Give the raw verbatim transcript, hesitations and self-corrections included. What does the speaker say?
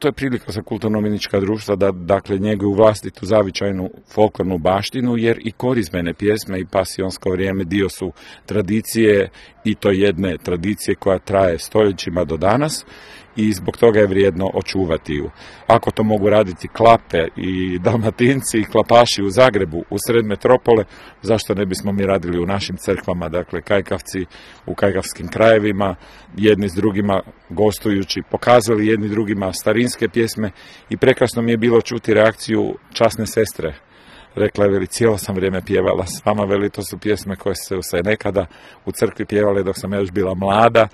to je prilika za kulturno-umjetnička društva da dakle njeguju vlastitu zavičajnu folklornu baštinu, jer i korizmene pjesme i pasionsko vrijeme dio su tradicije, i to jedne tradicije koja traje stoljećima do danas, i zbog toga je vrijedno očuvati ju. Ako to mogu raditi Klape i Dalmatinci i Klapaši u Zagrebu, u sred metropole, zašto ne bismo mi radili u našim crkvama, dakle Kajkavci u kajkavskim krajevima, jedni s drugima gostujući, pokazali jedni drugima starinske pjesme, i prekrasno mi je bilo čuti reakciju časne sestre. Rekla je, veli, cijelo sam vrijeme pjevala s vama, veli, to su pjesme koje su se nekada u crkvi pjevale dok sam ja još bila mlada,